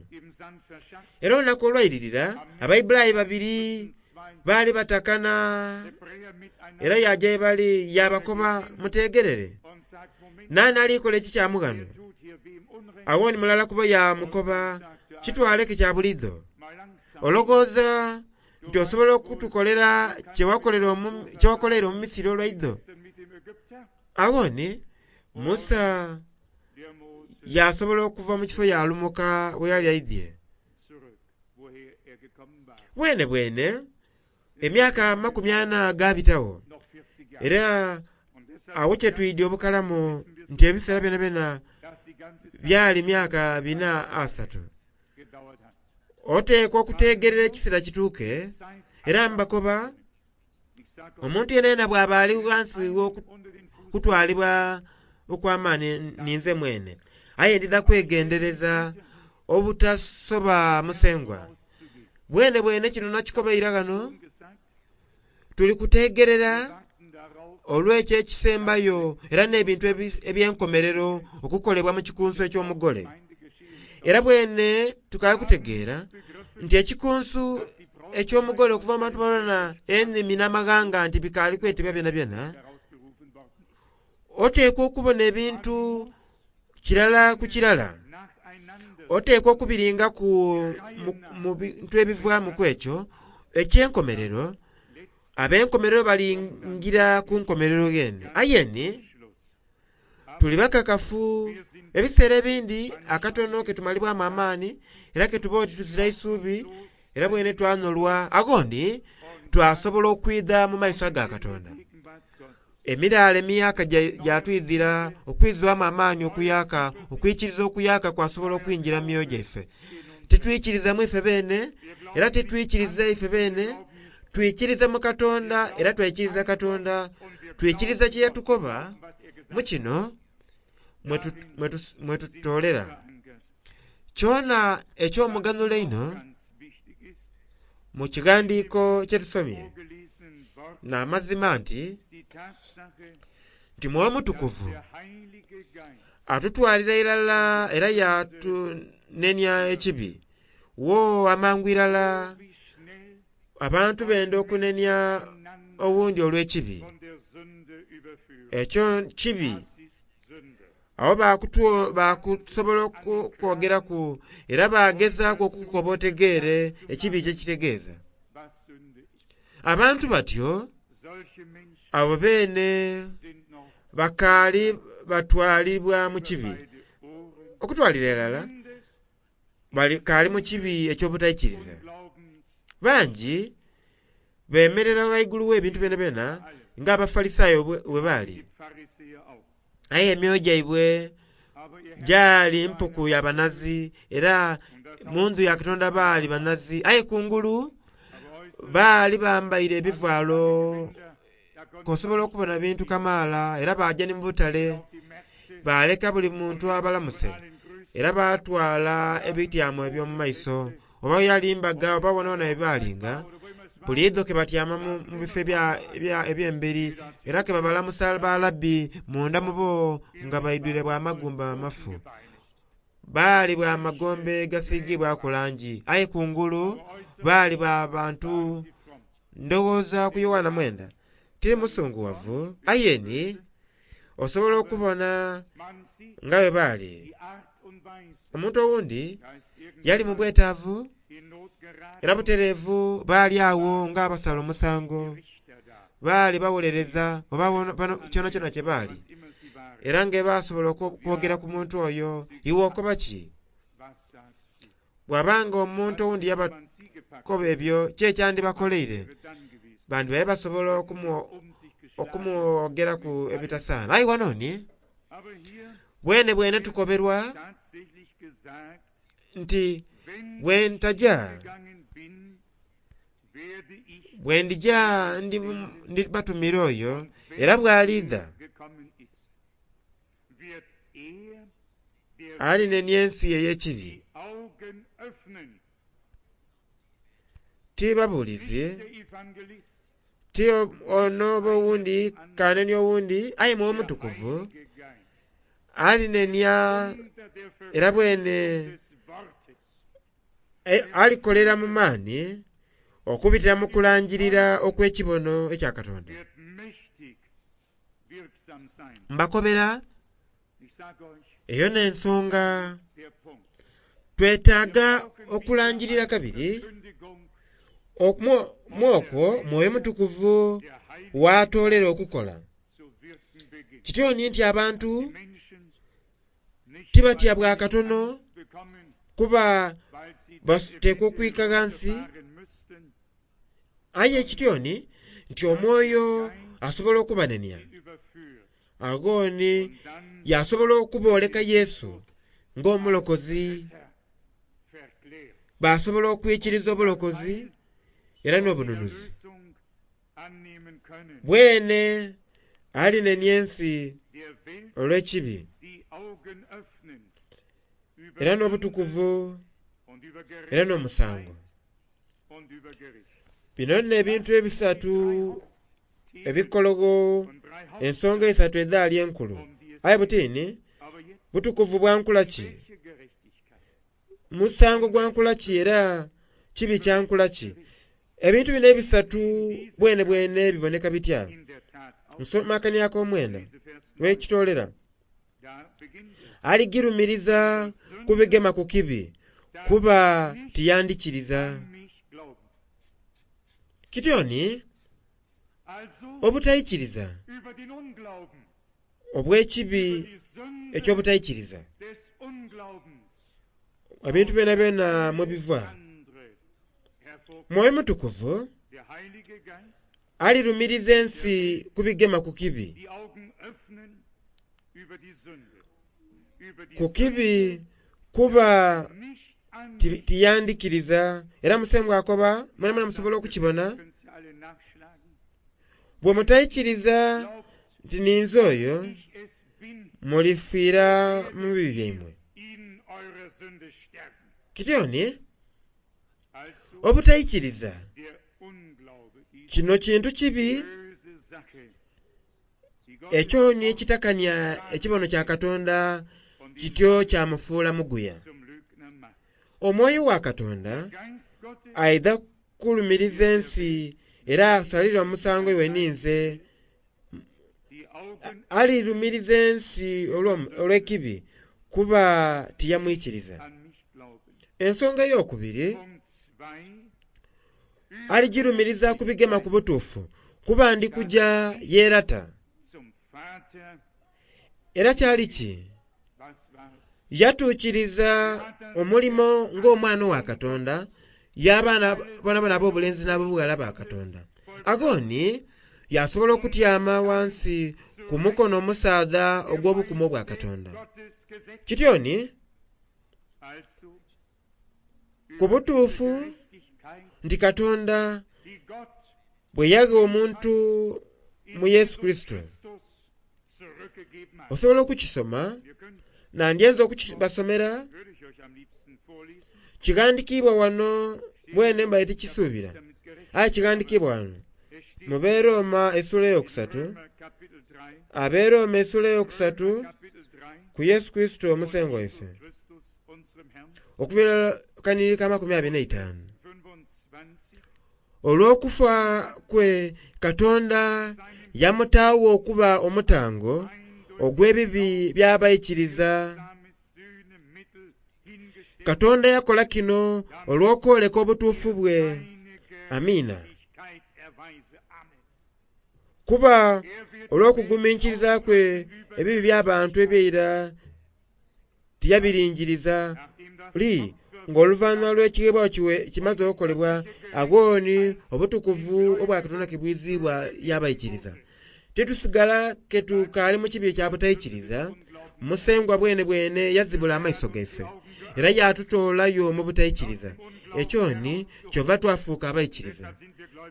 Era olunaku olwairirira Abaibulayi babiri baali batakana era yaja ye bali yabakoba mutegerere nani alikola ekikyamu ghano. Agho ni mulala kubo yamukoba kitwaleke kya bulidho olowooza nti osobola okutukolera kyewakolera Omumisiri olwaidho. Agho ni Musa yasobola okuva mu kifo yalumuka bwe yali aidhye. Bwene bwene emyaka amakumi ana gabitagho era awo kyetwidye obukalamu nti ebiseera byonabyona byali myaka bina asatu. Oteekwa okutegerera ekiseera kituuke era mbakoba omuntu yenayena bw'aba ali ghansi w'okutwalibwa okw'amaani ninze mwene aye ndidha kwegendereza obutasoba musengwa. Bwene bwene kino nakikobeire ghano tuli kutegerera olw'ekyo ekisembayo era n'ebintu eby'enkomerero okukolebwa mu kikunsu eky'omugole. Era bwene tukali kutegeera nti ekikunsu eky'omugole okuva mu bantu bonabona enimi n'amaghanga nti bikaali kwetebwa byonabyona oteekwa okubona ebintu kirala ku kirala. Oteekwa okubiringaku mu bintu ebivaamu ku ekyo eky'enkomerero ab'enkomerero balingira ku nkomerero ghene. Aye ni tuli bakakafu ebiseera ebindi akatono ketumalibwamu amaani era ketuba oti tuzira isubi era bwene twanolwa aghondi twasobola okwidha mu maiso aga Katonda. Emiraala emiyaka gyatwidhira okwizibwamu amaani okuyaka okwikiriza okuyaka kwasobola okwingira mu myoyo gyaife. Titwikiriza mu ife beene era titwikiriza ife beene twikiriza mu Katonda era twaikiriza Katonda twikiriza kye yatukoba mu kino mwe tutolera. Kyona eky'omuganhulo einho mu kighandiiko kye tusomye n'amazima nti nti Mwoyo Mutukuvu atutwalira irala era yatunenia ekibi. Wo amangu irala abantu benda okunenia owundi olw'ekibi. Ekyo kibi. Agho bakusobola okukwogeraku era bagezaaku okukukoba otegeere ekibi kyekitegeeza. Abantu batyo abo beene bakaali batwalibwa mu kibi. Okutwalira irala bakaali mu kibi eky'obutaikiriza. Bangi bemerera ghaigulu w'ebintu byonabyona nga Abafalisaayo bwe baali. Aye emyoyo gyaibwe gyali mpuku ya banazi era mu ndhu ya Katonda baali banazi aye kungulu baali bambaire ebivaalo k'osobola okubona bintu kamaala era baja ni mu butale baleka buli muntu abalamuse era batwala ebityamo eby'omu maiso oba yali mbaga oba wonawona bye buli idho ke batyama mu bifo eby'emberi era ke babalamusa balabbi munda mu bo nga baidwire bwa magumba amafu. Baali bwa magombe gasiigibwaku langi, aye kungulu baali bwa bantu. Ndowooza ku Yoanna mwenda tiri musunguwavu, aye ni osobola okubona nga bwe baali. Omuntu owundi yali mu bwetaavu era butereevu baali awo nga abasala omusango, baali bawolereza oba kyonakyona kye baali, era nga basobola okwogera ku muntu oyo, iwe okoba ki? Bw'abanga omuntu owundi yabakoba ebyo ki ekyandibakoleire, bandibaire basobola okumwogeraku ebitasaana. Aye wano ni bwene bwene tukoberwa nti bwe ntaja, bwe ndija ndibatumira oyo, era bw'aliidha alinenia ensi ey'ekibi. Ti babuulizi, ti ono oba owundi kanenia owundi, aye Mwoyo Mutukuvu alinenia era bwene alikolera mu maani okubitira mu kulangirira okw'ekibono ekya Katonda. Mbakobera eyo n'ensonga twetaaga okulangirira kabiri mu okwo Mwoyo Mutukuvu w'atoolera okukola. Kityo ni nti abantu tibatya bwa katono kuba bateekwa okwika ghansi, aye kityo ni nti omwoyo asobola okubanenia, agho ni yasobola okubooleka Yesu ng'omulokozi, basobola okwikiriza obulokozi era n'obununuzi. Bwene alinenia ensi olw'ekibi era n'obutukuvu era n'omusango. Bino nno ebintu ebisatu ebikologho ensonga eisatu edhaali enkulu. Aye butini butukuvu bwa nkula ki? Musango gwa nkula ki era kibi kya nkula ki? Ebintu bino ebisatu bwene bwene biboneka bitya? Nsoma akania ak'omwenda wekitolera. Aligirumiriza kubigema ku kibi kuba tiyandikiriza. Kityo ni obutaikiriza obw'ekibi eky'obutaikiriza ebintu byonabyona mwe biva. Mwoyo Mutukuvu alirumiriza ensi kubigema ku kibi. Ku kibi kuba tiyandikiriza era Musengwa akoba mwenamwena musobola okukibona, bwe mutaikiriza nti ninze oyo, mulifiira mu bibi byaimwe. Kityo ni obutaikiriza kino kintu kibi ekyo ni ekitakania ekibono kya Katonda kityo kyamufuula muguya. Omwoyo wa Katonda aidha kulumiriza ensi era asalire omusango iwe ninze. Alirumiriza ensi olw'ekibi kuba tiyamwikiriza. Ensonga ey'okubiri aligirumiriza kubigema ku butuufu kuba ndi kuja yeerata. Era kyali ki? Yatuukiriza omulimo ng'omwana wa Katonda y'abaana bonabona ab'obulenzi n'ab'obughala ba Katonda. Agho ni yasobola okutyama ghansi ku mukono omusaadha ogw'obukumu obwa Katonda. Kityo ni ku butuufu nti Katonda bwe yagha omuntu mu Yesu Kurisito, osobola okukisoma, nandyenze okukibasomera, kighandikiibwa wano bwene mbaire tikisuubira, aye kighandikiibwa wano mu b'e Roma essuula eyokusatu, ab'e Roma essuula eyokusatu ku Yesu Kurisito Omusengwa waife. Okuviira kaniri ka makumi abiri n'eitaanu. Olw'okufa kwe Katonda yamutaagho okuba omutango ogw'ebibi by'abaikiriza. Katonda yakola kino olw'okwoleka obutuufu bwe. Amiina. Kuba olw'okuguminkiriza kwe ebibi by'abantu eby'eira tiyabiringiriza. Li ng'oluvannyuma lw'ekigheebwayo kimaze okukolebwa, aghoni obutukuvu obwa Katonda kibwizibwa y'abaikiriza. Titusigala ketukaali mu kibi kya butaikiriza. Musengwa bwene bwene yazibula amaiso gaife era yatutoolayo mu butaikiriza. Ekyo ni kyova twafuuka abaikiriza.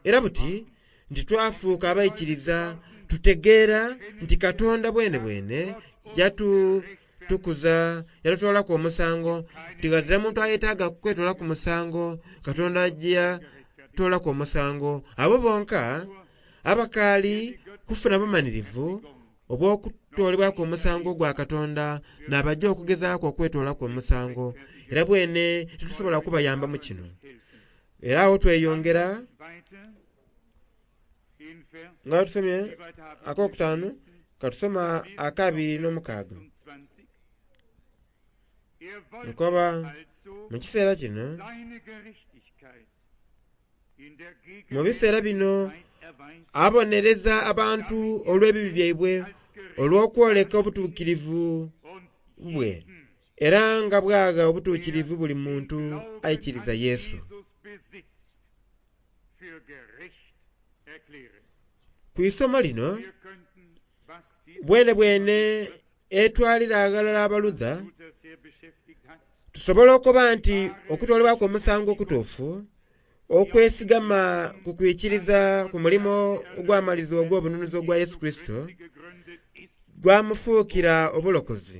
Era buti nti twafuuka abaikiriza, tutegeera nti Katonda bwene bwene yatutukuza, yatutoolaku omusango. Nti ghazira muntu ayetaaga kwetoolaku musango, Katonda gye yatoolaku omusango. Abo bonka abakaali kufuna bumanhirivu obw'okutoolebwaku omusango gwa Katonda n'abajja okugezaaku okwetoolaku omusango. Era bwene titusobola kubayamba mu kino. Era agho tweyongera nga tusomye akokutaanu, katusoma akabiri n'omukaaga. Nkoba mu kiseera kino, mu biseera bino abonereza abantu olw'ebibi byaibwe olw'okwoleka obutuukirivu bwe, era nga bwagha obutuukirivu buli muntu aikiriza Yesu. Ku isomo lino bwene bwene etwalira aghalala abaludha, tusobola okuba nti okutoolebwaku omusango okutuufu okwesigama ku kwikiriza ku mulimo ogwamalizibwa ogw'obununuzi ogwa Yesu Kurisito gwamufuukira obulokozi.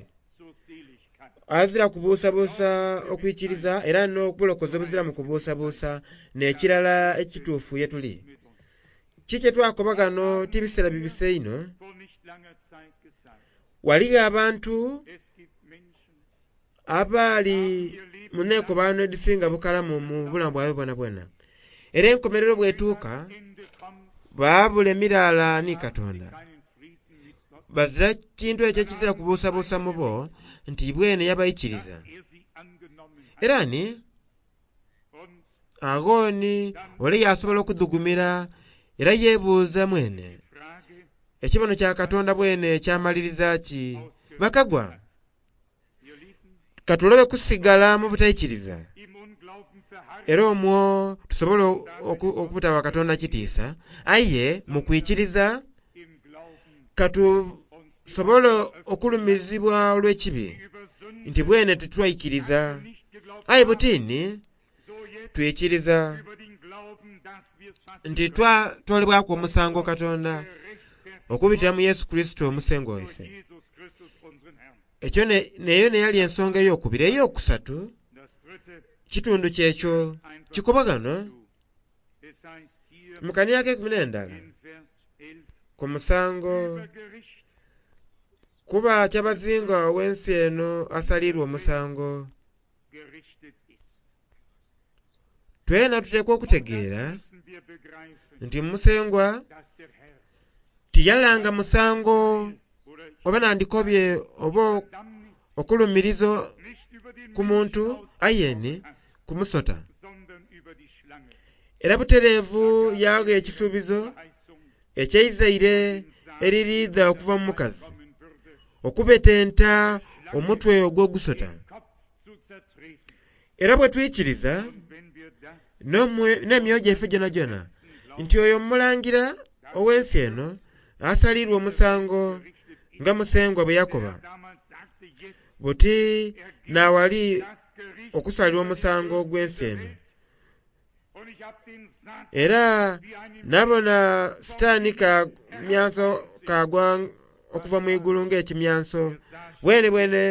Azira kubuusabuusa okwikiriza era n'obulokozi obuziramu kubuusabuusa n'ekirala ekituufu ye tuli. Kiki kyetwakoba ghano ti biseera bibise inho. Ghaligho abantu abaali mu nekobaano edhisinga bukalamu mu bulamu bwaibwe bwonabwona. Era enkomerero bwetuuka baabula emiraala ni Katonda. Bazira kintu ekyo ekizira kubuusabuusa mu bo nti bwene yabaikiriza. Era ni aghoni ole yasobola okudhugumira era yeebuuza mwene, ekibono kya Katonda bwene kyamaliriza ki? Bakagwa, katulobe kusigala mu butaikiriza, era omwo tusobole okubutawa Katonda kitiisa, aye mu kwikiriza katusobole okulumizibwa olw'ekibi nti bwene titwaikiriza. Aye butini twikiriza nti twatoolebwaku omusango Katonda okubitira mu Yesu Kurisito omusengo waife. Ekyo neyo neyali ensonga ey'okubiri. Ey'okusatu kitundu kyekyo kikoba ghano mu kanira ak'eikumi n'endala ku musango, kuba kyabazinga ow'ensi eno asalirwa omusango. Twena tuteekwa okutegeera nti Musengwa tiyalanga musango oba nandikobye oba okulumiriza ku muntu aye ni ku musota. Era butereevu yagha ekisuubizo eky'eizaire eririidha okuva mu mukazi okubetenta omutwe ogw'ogusota. Era bwe twikiriza n'emyoyo gyaife gyonagyona nti oyo omulangira ow'ensi eno asalirwa omusango nga Musengwa bwe yakoba, buti n'awali okusalirwa omusango ogw'ensi eno. Era nabona Sitaani kamyanso kagwa okuva mu igulu ng'ekimyanso. Bwene bwene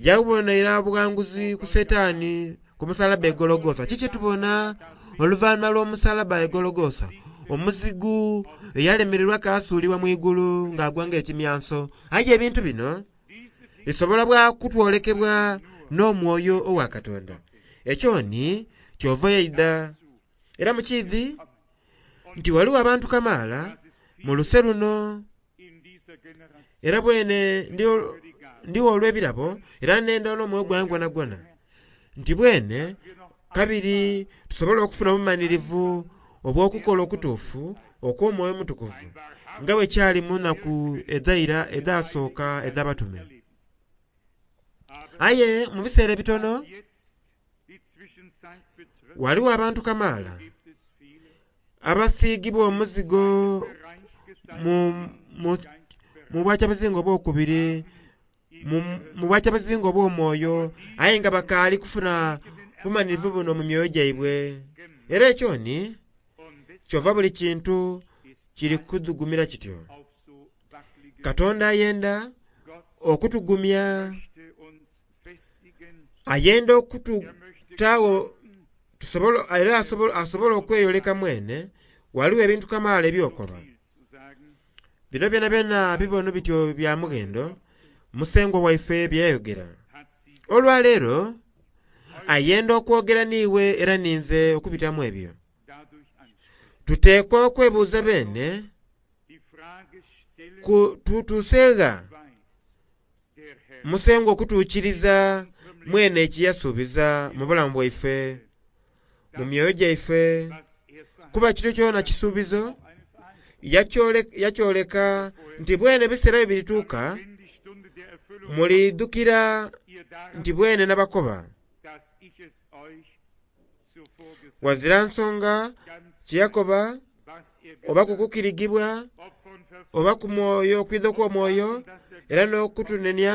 yabonera obughanguzi ku Setaani ku musalaba e Gologotha. Kiki tubona oluvannyuma lw'omusalaba e Gologotha? Omuzigu eyalemererwa kaasuulibwa mu igulu ng'agwa ng'ekimyanso. Aye ebintu bino bisobola bwa kutwolekebwa n'omwoyo owa Katonda. Ekyo ni kyova yaidha. Era mukiidhi nti waliwo abantu kamaala mu luse luno, era bwene ndiwo olw'ebirabo era nenda n'omwoyo gwange gwonagwona nti bwene kabiri tusobole okufuna obumanirivu obw'okukola okutuufu okw'omwoyo omutukuvu nga bwe kyali mu nnaku edhaira edhasooka edh'abatume. Aye mu biseera ebitono waliwo abantu kamaala abasiigibwa omuzigo mu, mu, mu bwakyabazinga obwokubiri, mu, mu bwakyabazinga obw'omwoyo, aye nga bakaali kufuna bumanirivu buno mu myoyo gyaibwe. Era ekyo ni kyova buli kintu kiri kudhugumira kityo. Katonda ayenda okutugumya, ayenda okututaawo tusobola, era asobola okweyoleka mwene. Waliwo ebintu kamaala ebyokoba bino byona byona bibono bityo bya mughendo Musengwa waife byayogera. Olwaleero ayenda okwogera niiwe era ninze okubitamu ebyo. Tuteekwa okwebuuza beene tutuuseegha Musengwa okutuukiriza mwene ekiyasuubiza mu bulamu bwaife, mu myoyo gyaife, kuba kityo kyona kisuubizo yakyoleka nti bwene ebiseera bye birituuka mulidhukira nti bwene n'abakoba. Wazira nsonga kyeyakoba oba kukukirigibwa oba ku mwoyo okwidha okw'omwoyo era n'okutunenia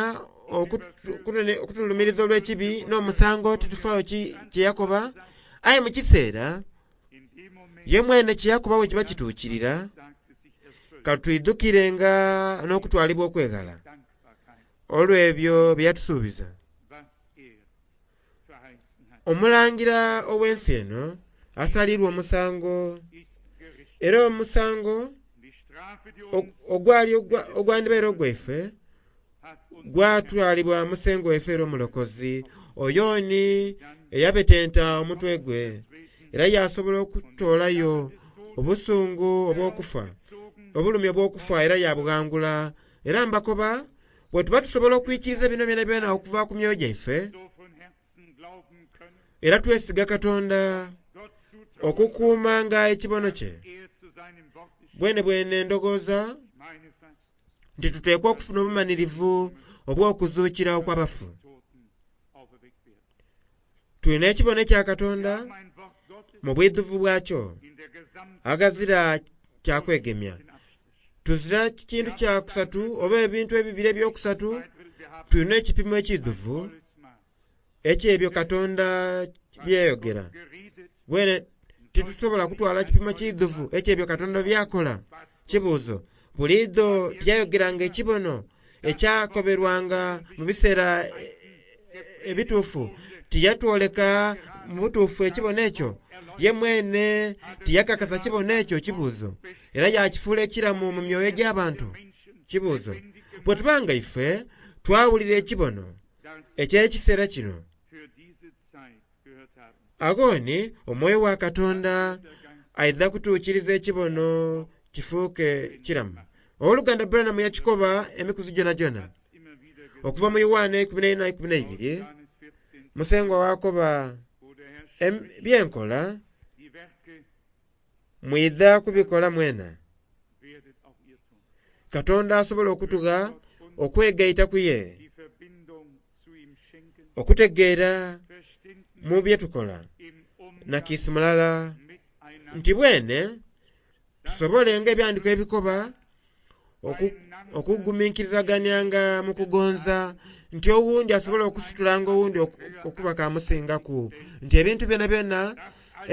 okutulumiriza olw'ekibi n'omusango titufaayo kyeyakoba. Aye mu kiseera ye mwene kyeyakoba bwe kiba kituukirira, katwidhukirenga n'okutwalibwa okweghala olw'ebyo bye yatusuubiza. Omulangira ow'ensi eno asalirwa omusango, era omusango ogwali ogwandibaire ogwaife gwatwalibwa Musengwa waife era omulokozi oyo ni eyabetenta omutwe gwe era yasobola okutoolayo obusungu obw'okufa, obulumi obw'okufa era yabughangula. Era mbakoba bwe tuba tusobola okwikiriza bino byona byona okuva ku myoyo gyaife, era twesiga Katonda okukuumanga ekibono kye. Bwene bwene ndowooza nti tuteekwa okufuna obumanirivu obw'okuzuukira okw'abafu. Tulina ekibono ekya Katonda mu bwidhuvu bwakyo, aghazira kyakwegemya. Tuzira kintu kya kusatu oba ebintu ebibiri ebyokusatu, tulina ekipimo ekidhuvu eky'ebyo Katonda byeyogera. Bwene titusobola kutwala kipimo kidhuvu eky'ebyo Katonda byakola. Kibuuzo, buliidho tiyayogeranga ekibono ekyakoberwanga mu biseera ebituufu? Tiyatwoleka mu butuufu ekibono ekyo? Ye mwene tiyakakasa kibono ekyo? Kibuuzo. Era yakifuula ekiramu mu myoyo gy'abantu? Kibuuzo. Bwe tubanga ife twawulira ekibono eky'ekiseera kino, agho ni omwoyo wa Katonda aidha kutuukiriza ekibono kifuuke kiramu. Owooluganda Branham yakikoba emikuzi gyonagyona okuva mu Yoanne ikumi n'eina ikumi n'eibiri, Musengwa wakoba byenkola mwidha kubikola mwena. Katonda asobola okutugha okwegaita ku ye, okutegeera mu bye tukola na kiisi mulala nti bwene tusobole nga ebyandiko ebikoba okuguminkirizagananga mu kugonza, nti owundi asobola okusitulanga owundi okuba kamusingaku, nti ebintu byona byona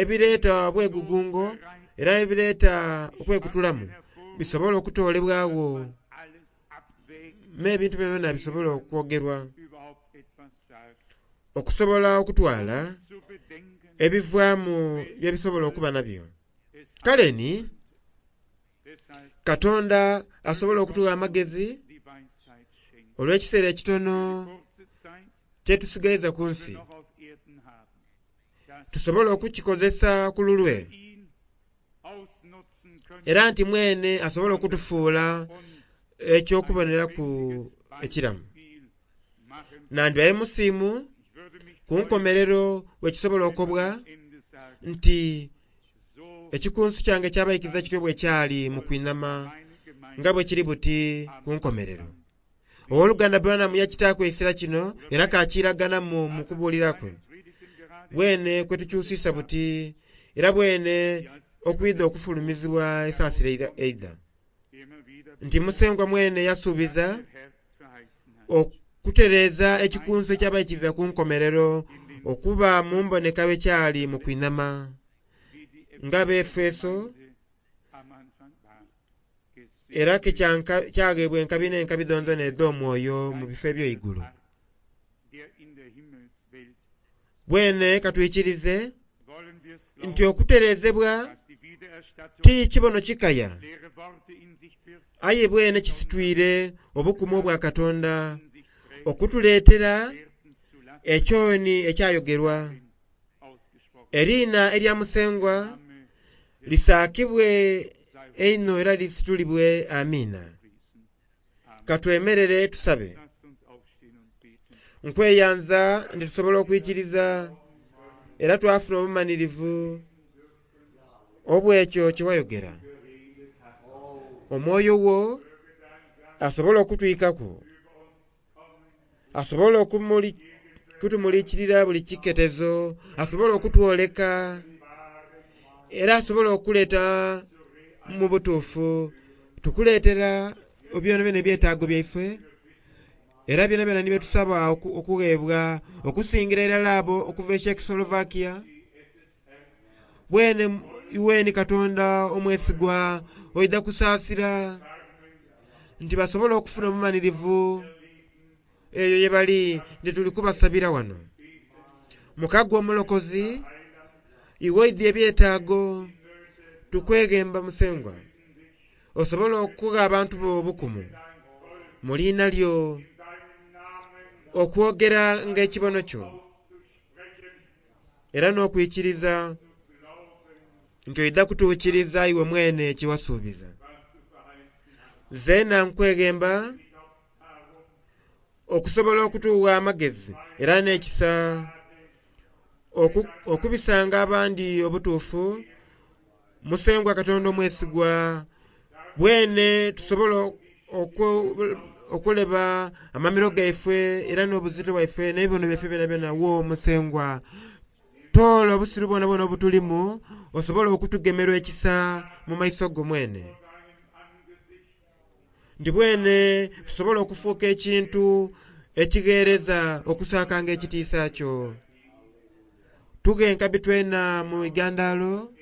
ebireeta obwegugungo era ebireeta okwekutulamu bisobola okutoolebwagho, n'ebintu byona bisobola okwogerwa okusobola okutwala ebivaamu byebisobola okuba nabyo. Kale ni Katonda asobola okutugha amagezi olw'ekiseera ekitono kyetusigaiza ku wir nsi noch auf Erden haben, dass tusobole okukikozesa ku lulwe wir ihn ausnutzen können era nti mwene asobole okutufuula und ekyokuboneraku lebendiges ekiramu Beispiel machen. nandibale musiimu Ich würde mich ku nkomerero wekisobola okobwa am Ende sagen, nti so ekikunsu kyange kyabayikiza kityo bwe kyali mu kwinama meine Gemeinde nga bwe kiri buti ku nkomerero owooluganda Branham yakitaaku ekisera kino era kakiraganamu mu kubuulira kwe Predigten gerade bwene kwetukyusisa buti era bwene okwidha okufulumizibwa esaasira eidha- eidha immer wieder nti musengwa mwene yasuubiza der Herr verheißen hat. okutereeza ekikunsu ekyabayikiza ku nkomerero okuba mu mboneka bwekyali mu kwinama Wie die nga b'Efeso Gemeinde am Anfang war. Gesegnet era ke kyanka- kyageebwa enkabi n'enkabi dhonzona edh'omwoyo mu bifo ebyoigulu Art, der in der Himmelswelt bwene katwikirize wollen wir's nti glauben, okutereezebwa dass die Wiedererstattung ti kibono kikaya leere Worte in sich birgt, aye bwene kisitwire obukumu obwa Katonda in sich trägt, okutuleetera werden zu lassen, ekyoni ekyayogerwa ausgesprochen. eriina erya musengwa Name lisaakibwe sei einho era lisitulibwe amiina gepriesen. Amen. katwemerere tusabe Lasst uns aufstehen und beten. nkweyanza nti tusobola okwikiriza era twafuna obumanirivu obwekyo kyewayogera omwoyo wo asobola okutwikaku asobola okumuli- kutumulikirira buli kiketezo asobola okutwoleka era asobola okuleeta mu butuufu tukuleetera byona byona ebyetaago byaife era byona byona nibyetusaba oku- okuweebwa okusingira irala abo okuva e Czechoslovakia bwene iweni Katonda omwesigwa oidha kusaasira nti basobole okufuna obumanirivu eyo ye bali nti tuli kubasabira wano mukagwa omulokozi iwe oidhi ebyetaago tukweghemba musengwa osobole okugha abantu bo obukumu mu liina lyo okwogera ng'ekibono kyo era n'okwikiriza nti oidha kutuukiriza iwe mwene kyewasuubiza zeena nkweghemba okusobola okutuwa amagezi era n'ekisa oku- okubisanga abandi obutuufu musengwa Katonda omwesigwa bwene tusobola oku- okuleba amamiro gaife era n'obuzito bwaife n'ebibono byaife byona byona wo musengwa toola obusiru bwona bwona obutulimu osobole okutugemerwa ekisa mu maiso go mwene nti bwene tusobola okufuuka ekintu ekigheereza okusaakanga ekitiisa kyo tughe enkabi twena mu igandalo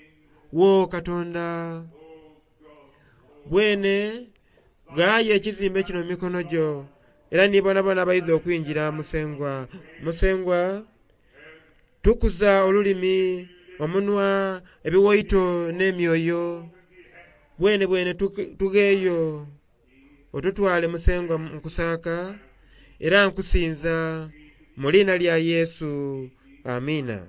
wo Katonda bwene ghayo ekizimbe kino mu mikono gyo era ni bonabona abaidha okwingira musengwa musengwa tukuza olulimi omunwa ebiwaito n'emyoyo bwene bwene tuge- tugheeyo otutwale musengwa nkusaaka era nkusinza mu liina lya Yesu amiina.